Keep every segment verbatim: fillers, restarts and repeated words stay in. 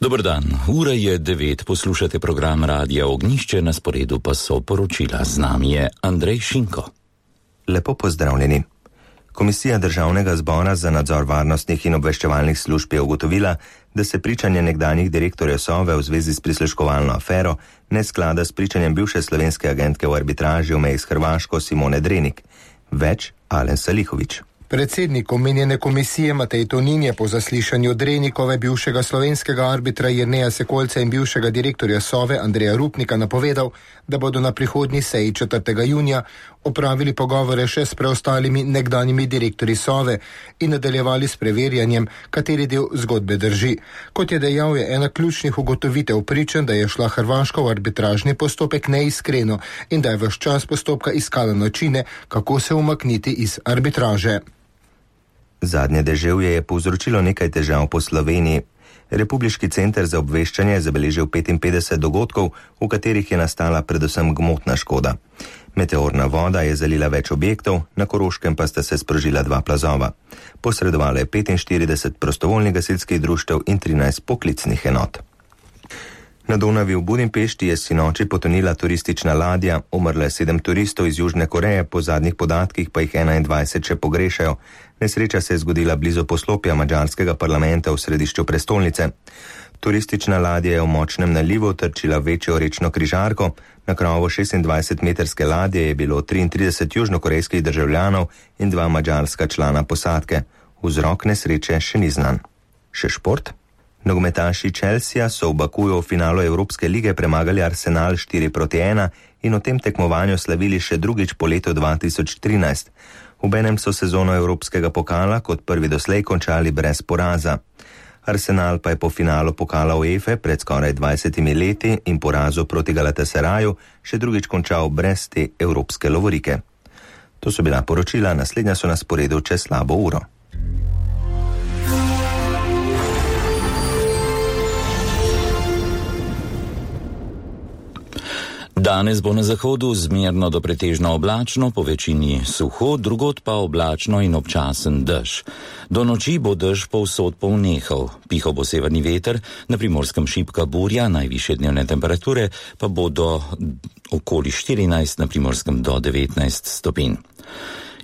Dober dan, ura je devet, poslušate program Radia Ognjišče, na sporedu pa so poročila. Z nami je Andrej Šinko. Lepo pozdravljeni. Komisija Državnega zbora za nadzor varnostnih in obveščevalnih služb je ugotovila, da se pričanje nekdanjih direktorjev Sove v zvezi s prisluškovalno afero ne sklada s pričanjem bivše slovenske agentke v arbitraži v meji s Hrvaško Simone Drenik. Več Alen Salihović. Predsednik omenjene komisije Matej Tonin je po zaslišanju Drenikove, bivšega slovenskega arbitra Jerneja Sekolca in bivšega direktorja Sove Andreja Rupnika napovedal, da bodo na prihodnji seji četrtega junija opravili pogovore še s preostalimi nekdanjimi direktorji Sove in nadaljevali s preverjanjem, kateri del zgodbe drži. Kot je dejal, je ena ključnih ugotovitev pričanj, da je šla Hrvaška v arbitražni postopek neiskreno in da je ves čas postopka iskala načine, kako se umakniti iz arbitraže. Zadnje deževje je povzročilo nekaj težav po Sloveniji. Republiški center za obveščanje je zabeležil petinpetdeset dogodkov, v katerih je nastala predvsem gmotna škoda. Meteorna voda je zalila več objektov, na Koroškem pa sta se sprožila dva plazova. Posredovalo je petinštirideset prostovoljnih gasilskih društev in trinajst poklicnih enot. Na Donavi v Budimpešti je sinoči potonila turistična ladja, umrlo je sedem turistov iz Južne Koreje, po zadnjih podatkih pa jih enaindvajset še pogrešajo. Nesreča se je zgodila blizu poslopja madžarskega parlamenta v središču prestolnice. Turistična ladja je v močnem nalivu trčila večjo rečno križarko. Na krovu šestindvajsetmetrske ladje je bilo triintrideset južnokorejskih državljanov in dva madžarska člana posadke. Vzrok nesreče še ni znan. Še šport? Nogometaši Chelsea so v Bakuju v finalu Evropske lige premagali Arsenal štiri proti ena in v tem tekmovanju slavili še drugič po letu dva tisoč trinajst. Obenem so sezono Evropskega pokala kot prvi doslej končali brez poraza. Arsenal pa je po finalu pokala UEFA pred skoraj dvajsetimi leti in porazu proti Galatasaraju še drugič končal brez te evropske lovorike. To so bila poročila, naslednja so na sporedu čez slabo uro. Danes bo na zahodu zmerno do pretežno oblačno, po večini suho, drugod pa oblačno in občasen dež. Do noči bo dež povsod polnehal. Pihal bo severni veter, na Primorskem šibka burja, najvišje dnevne temperature pa bodo okoli štirinajst, na Primorskem do devetnajst stopinj.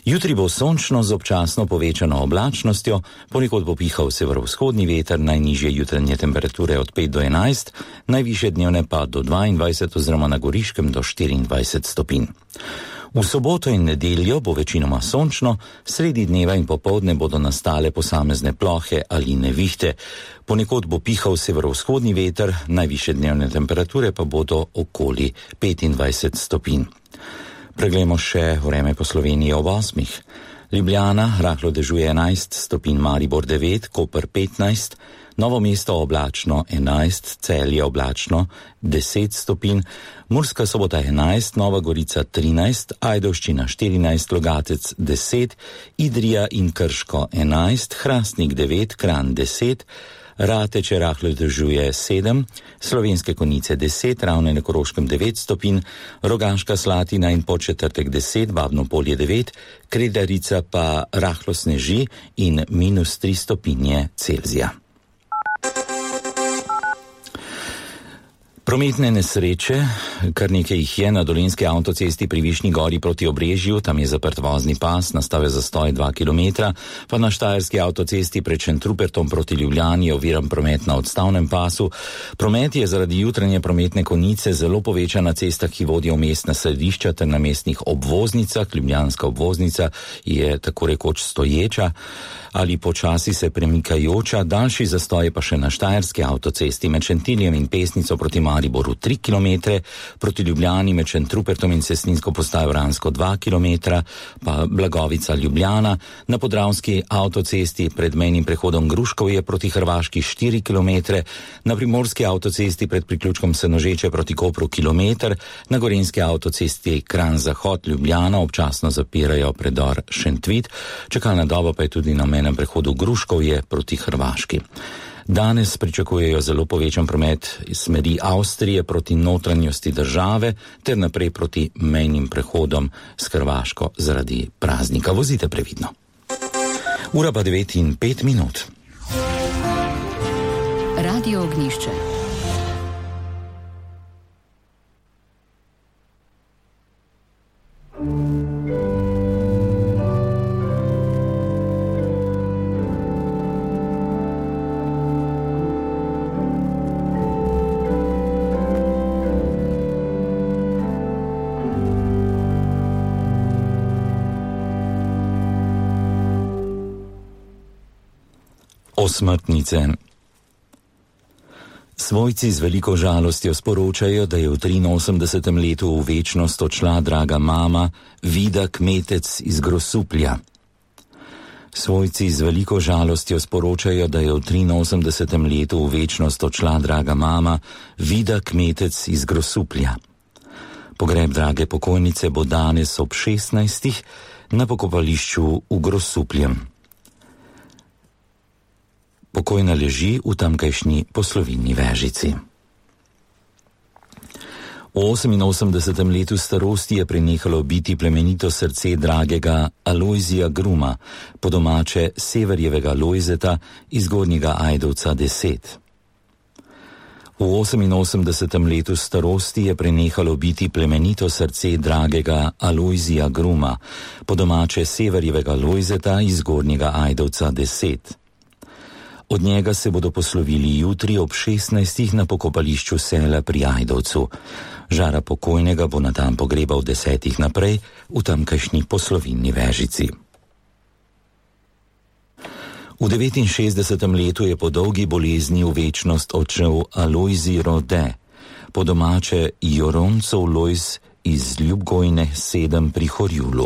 Jutri bo sončno z občasno povečano oblačnostjo, ponekod bo pihal severovzhodni veter, najnižje jutranje temperature od pet do enajst, najvišje dnevne pa do dvaindvajset oziroma na Goriškem do štiriindvajset stopinj. V soboto in nedeljo bo večinoma sončno, sredi dneva in popoldne bodo nastale posamezne plohe ali nevihte. Ponekod bo pihal severovzhodni veter, najvišje dnevne temperature pa bodo okoli petindvajset stopinj. Preglejmo še vreme po Sloveniji ob osmih. Ljubljana, rahlo dežuje enajst stopinj, Maribor devet, Koper petnajst, Novo mesto oblačno enajst, Celje oblačno deset stopinj, Murska Sobota enajst, Nova Gorica trinajst, Ajdovščina štirinajst, Logatec deset, Idrija in Krško enajst, Hrastnik devet, Kranj deset, Rateče rahlo dežuje sedem, Slovenske Konjice deset, Ravne na Koroškem devet stopinj, Rogaška Slatina in Podčetrtek deset, Babno Polje devet, Kredarica pa rahlo sneži in minus tri stopinje Celzija. Prometne nesreče, kar nekaj jih je na Dolenjski avtocesti pri Višnji gori proti Obrežju, tam je zaprt vozni pas, nastal je zastoj dva kilometra, pa na Štajerski avtocesti pred Šentrupertom proti Ljubljani je oviran promet na odstavnem pasu. Promet je zaradi jutranje prometne konice zelo povečan na cestah, ki vodijo v mestna središča ter na mestnih obvoznicah. Ljubljanska obvoznica je tako rekoč stoječa ali počasi se premikajoča, daljši zastoj pa še na Štajerski avtocesti med Šentiljem in Pesnico proti Mariboru tri kilometre, proti Ljubljani med Šentrupertom in Cestninsko postajo Vransko dva kilometra, pa Blagovica Ljubljana, na Podravski avtocesti pred mejnim prehodom Gruškovje proti Hrvaški štiri kilometre, na Primorski avtocesti pred priključkom Senožeče proti Kopru kilometer, na Gorenjski avtocesti Kranj Zahod Ljubljana občasno zapirajo predor Šentvit, čakalna doba pa je tudi na mejnem prehodu Gruškovje proti Hrvaški. Danes pričakujejo zelo povečan promet iz smeri Avstrije proti notranjosti države ter naprej proti mejnim prehodom s Hrvaško zaradi praznika. Vozite previdno. Ura pa devet in pet minut. Radio Ognjišče. Osmrtnice. Svojci z veliko žalostjo sporočajo, da je v triinosemdesetem letu v večnost odšla draga mama Vida Kmetec iz Grosuplja. Svojci z veliko žalostjo sporočajo, da je v triinosemdesetem letu v večnost odšla draga mama Vida Kmetec iz Grosuplja. Pogreb drage pokojnice bo danes ob šestnajstih na pokopališču v Grosupljem. Pokojna leži v tamkajšnji poslovilni vežici. V oseminosemdesetem letu starosti je prenehalo biti plemenito srce dragega Alojzija Gruma, po domače Severjevega Lojzeta iz Gornjega Ajdovca deset. V oseminosemdesetem letu starosti je prenehalo biti plemenito srce dragega Alojzija Gruma, po domače Severjevega Lojzeta iz Gornjega Ajdovca deset. Od njega se bodo poslovili jutri ob šestnajstih na pokopališču Sela pri Ajdovcu. Žara pokojnega bo na dan pogreba v desetih naprej v tamkajšnji poslovilni vežici. V devetinšestdesetem letu je po dolgi bolezni v večnost odšel Alojzij Rode, po domače Joroncov Lojz iz Ljubgojne sedem pri Horjulu.